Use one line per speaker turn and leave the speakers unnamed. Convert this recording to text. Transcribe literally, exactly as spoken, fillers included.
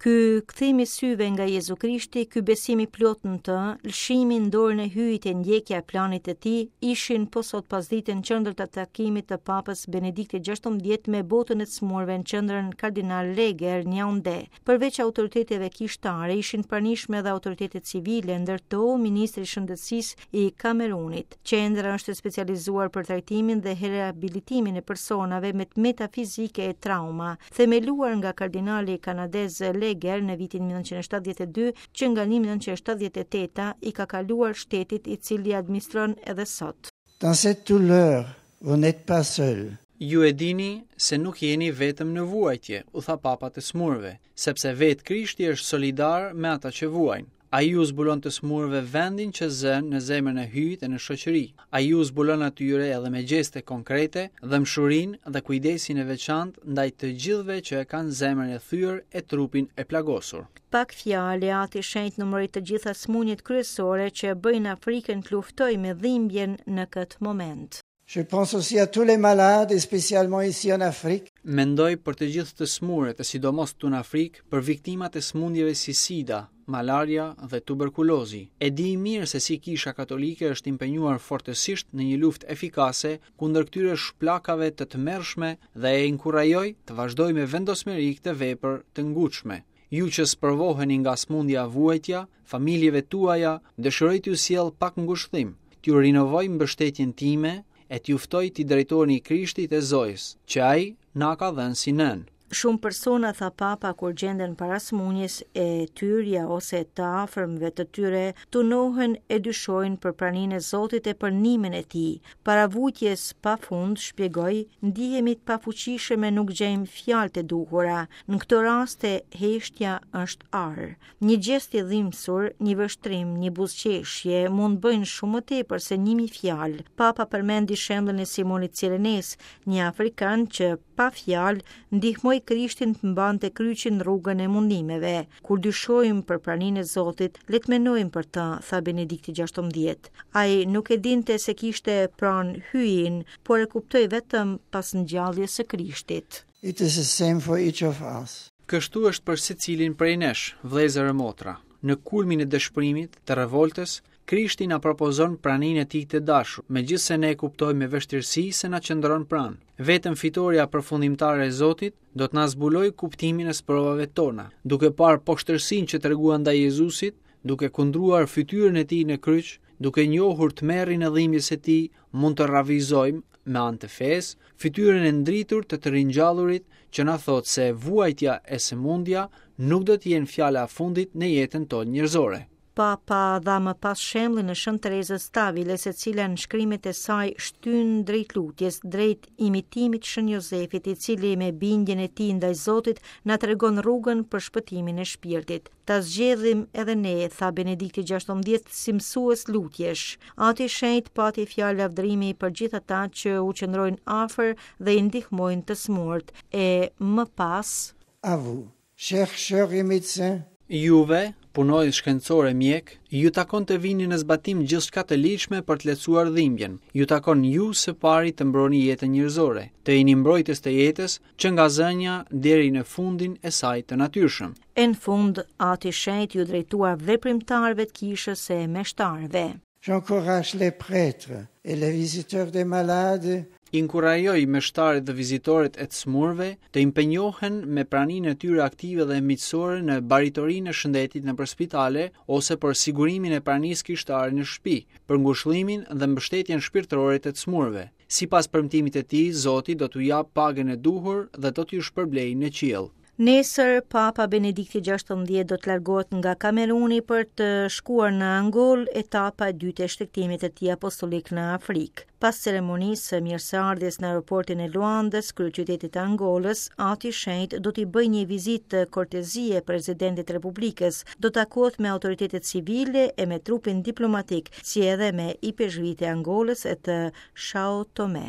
Ky kthim i syve nga Jezu Krishti, ky besim i plotë në të, lëshimi në dorën e Hyjit e ndjekja e planit të tij, ishin po sot pasdite në qendër të takimit të Papës Benediktit gjashtëmbëdhjetë me botën e të smurve në qendrën Kardinal Leger në Jaunde. Përveç autoriteteve kishtare, ishin pranishme edhe autoritetet civile, ndër to Ministri i Shëndetësisë i Kamerunit. Qendra është e specializuar për trajtimin dhe rehabilitimin e personave me të meta fizike e trauma, themeluar nga kardinali kanadez Leger në vitin një mijë e nëntëqind e shtatëdhjetë e dy, që nga një mijë e nëntëqind e shtatëdhjetë e teta i ka kaluar shtetit i cili administron edhe sot.
Dans cette douleur, vous n'êtes pas seul.
Ju e dini se nuk jeni vetëm në vuajtje, u tha Papa të smurve, sepse vetë Krishti është solidar me ata që vuajnë. Ai ju zbulon të smurve vendin që zën në zemrën e Hyjit e në shoqëri. Ai ju zbulon atyre edhe me gjeste konkrete, dhembshurinë dhe kujdesin e veçantë ndaj të gjithëve që e kanë zemrën e thyer e trupin e plagosur.
Pak fjalë, Ati Shenjt numëroi të gjitha sëmundjet kryesore që e bëjnë Afrikën të luftojë me dhimbjen në këtë moment.
Je pense aussi à tous les malades, et spécialement ici en Afrique.
Mendoj për të gjithë të smurët, e sidomos këtu në Afrikë, për viktimat e sëmundjeve si sida, malaria dhe tuberkulozi. E di mirë se si Kisha Katolike është impenjuar fortësisht në një luftë efikase kundër këtyre shplakave të tmerrshme dhe e inkurajoj të vazhdojë me vendosmëri këtë vepër të ngutshme. Ju që sprovoheni nga sëmundja vuajtja, familjeve tuaja, dëshiroj t'ju sjell pak ngushëllim, t'ju rinovoj mbështetjen time e t'ju ftoj t'i drejtoheni Krishtit e Zojës, që ai na ka dhënë si nënë.
Shumë persona, tha Papa, kur gjenden para sëmundjes e tyrja ose të afërmve të tyre, tunohen e dyshojnë për praninë e Zotit e për ndihmën e tij. Para vujtjes pa fund, shpjegoi, ndihemi të pafuqishëm e nuk gjejmë fjalët e duhura. Në këto raste, heshtja është ar. Një gjest i dhimbsur, një vështrim, një buzëqeshje mund bëjnë shumë më tepër se një mijë fjalë. Papa përmendi shembullin e Simonit Cirenes, një afrikan që pa fjalë ndihmoi Krishtin të mbante kryqin në rrugën e mundimeve. Kur dyshojmë për praninë e Zotit, le të mendojmë për të, tha Benedikti gjashtëmbëdhjetë. Ai nuk e dinte se kishte pranë Hyjin, por e kuptoi vetëm pas ngjalljes së Krishtit.
It is the same for each of us.
Kështu është për secilin prej nesh, vëllezër e motra. Në kulmin e dëshpërimit, të revoltës, Krishti na propozon praninë e tij të dashur, megjithëse ne e kuptojmë me vështirësi se na qëndron pranë. Vetëm fitoria përfundimtare e Zotit do të na zbulojë kuptimin e sprovave tona, duke parë poshtërsinë që treguan ndaj Jezusit, duke kundruar fytyrën e tij në kryq, duke njohur tmerrin e dhimbjes së tij, mund të ravizojmë me anë të fesë fytyrën e ndritur të të ringjallurit që na thotë se vuajtja e sëmundja nuk do të jenë fjala e fundit në jetën tonë njerëzore.
Papa dha më pas shembullin e Shën Terezës Taviles, e cila në shkrimet e saj shtyn drejt lutjes, drejt imitimit Shën Jozefit, i cili me bindjen e tij ndaj Zotit na tregon rrugën për shpëtimin e shpirtit. Ta zgjedhim edhe ne, tha Benedikti gjashtëmbëdhjetë, si mësues lutjesh. Ati Shenjt pati fjalë lavdërimi për gjithë ata që u qëndrojnë afër dhe i ndihmojnë të smurt. E më pas,
À vous, chercheurs et médecins,
Juve, punojës shkencor e mjek, ju takon të vini në zbatim gjithçka të ligjshme për të lehtësuar dhimbjen. Ju takon ju së pari të mbroni jetën njerëzore, të jeni mbrojtës të jetës që nga zënja deri në fundin e saj të natyrshëm.
E në fund, Ati Shenjt ju drejtua veprimtarëve të kishës e meshtarëve.
J'encourage les prêtres et les visiteurs des malades
Inkurajoj meshtarët dhe vizitorët e të smurve të impenjohen me praninë e tyre aktive dhe miqësore në baritorinë e shëndetit nëpër spitale ose për sigurimin e pranisë kishtare në shtëpi, për ngushëllimin dhe mbështetjen shpirtërore të të smurve. Sipas premtimit të tij, Zoti do t'u japë pagën e duhur dhe do t'ju shpërblejë në qiell.
Nesër, Papa Benedikti gjashtëmbëdhjetë do të largohet nga Kameruni për të shkuar në Angol, etapa e dytë e shtegtimit të tij apostolik në Afrikë. Pas ceremonisë së mirëseardhjes në aeroportin e Luandës, kryeqytetit të Angolës, Ati Shenjt do t'i bëjë një vizitë kortezie presidentit të Republikës, do takohet me autoritetet civile e me trupin diplomatik, si edhe me ipeshkvit e Angolës e të Sao Tome.